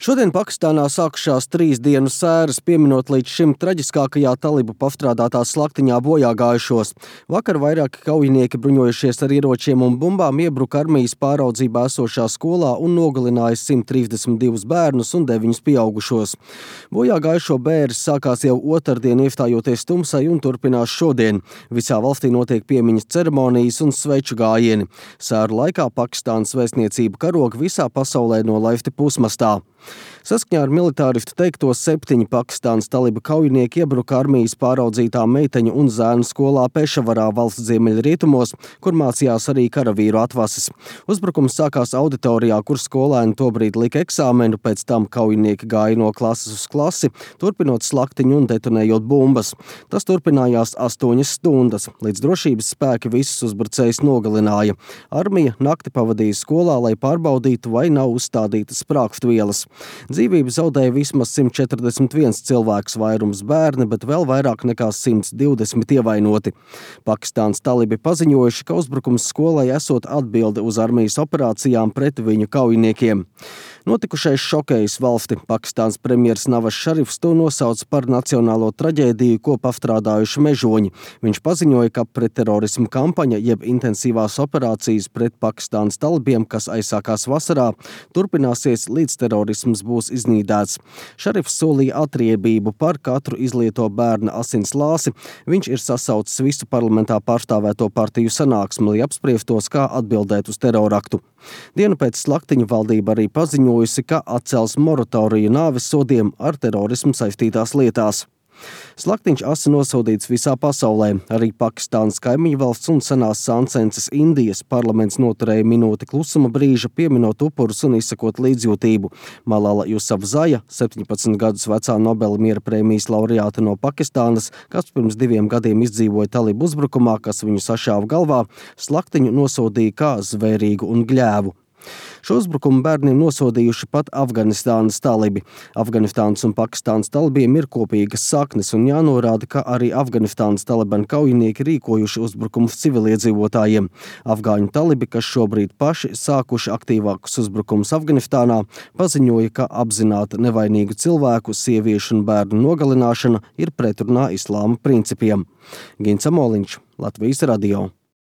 Šodien Pakistānā sākušās 3 dienu sēras, pieminot līdz šim traģiskākajā talibu pastrādātās slaktiņā bojāgājušos. Vakar vairāki kaujinieki bruņojušies ar ieročiem un bumbām iebruka armijas pāraudzībā esošā skolā un nogalināja 132 bērnus un 9 pieaugušos. Bojāgājušo bēres sākās jau otrdien, iestājoties tumsai, un turpinās šodien. Visā valstī notiek piemiņas ceremonijas un sveču gājieni. Sēru laikā Pakistānas vēstniecība karoga visā pasaulē nolaifti pusmastā. Saskaņā ar militāristu teikto 7 Pakistānas taliba kaujinieki iebruka armijas pāraudzītā meiteņu un zēnu skolā Pešavarā valsts ziemeļrietumos, kur mācījās arī karavīru atvases. Uzbrukums sākās auditorijā, kur skolēni tobrīd lika eksāmenu, pēc tam kaujinieki gāja no klases uz klasi, turpinot slaktiņu un detonējot bumbas. Tas turpinājās 8 stundas, līdz drošības spēki visus uzbrucējus nogalināja. Armija nakti pavadīja skolā, lai pārbaudītu, vai nav uzstādītas sprāgstvielas. Dzīvību zaudēja vismaz 141 cilvēks, vairums bērni, bet vēl vairāk nekā 120 ievainoti. Pakistānas talibi paziņojuši, ka uzbrukums skolai esot atbilde uz armijas operācijām pret viņu kaujiniekiem. Notikušais šokējis valsti. Pakistāns premjers Navas Šarifs to nosauc par nacionālo traģēdiju, ko pastrādājuši mežoņi. Viņš paziņoja, ka pretterorismu kampaņa, jeb intensīvās operācijas pret Pakistānas talibiem, kas aizsākās vasarā, turpināsies līdz terorisms būs iznīdēts. Šarifs solīja atriebību par katru izlieto bērna asins lāsi. Viņš ir sasaucis visu parlamentā pārstāvēto partiju sanāksmi, lai apspriestos, kā atbildēt uz teroraktu. Dienu pēc slaktiņu valdība arī paziņojusi, ka atcels moratoriju nāves sodiem ar terorismu saistītās lietās. Slaktiņš asi nosodīts visā pasaulē. Arī Pakistānas kaimiņu valsts un senās sāncences Indijas parlaments noturēja minūti klusuma brīža, pieminot upurus un izsakot līdzjūtību. Malala Jusafzaja, 17 gadus vecā Nobela miera prēmijas laureāte no Pakistānas, kas pirms 2 gadiem izdzīvoja talibu uzbrukumā, kas viņu sašāva galvā, slaktiņu nosodīja kā zvērīgu un gļēvu. Šo uzbrukumu bērniem nosodījuši pat Afganistānas talibi. Afganistānas un Pakistānas talibiem ir kopīgas saknes, un jānorāda, ka arī Afganistānas talibanu kaujinieki rīkojuši uzbrukumus civiliedzīvotājiem. Afgāņu talibi, kas šobrīd paši sākuši aktīvākus uzbrukumus Afganistānā, paziņoja, ka apzināta nevainīgu cilvēku, sieviešu un bērnu nogalināšana ir pretrunā islāma principiem. Gins Amoliņš, Latvijas radio.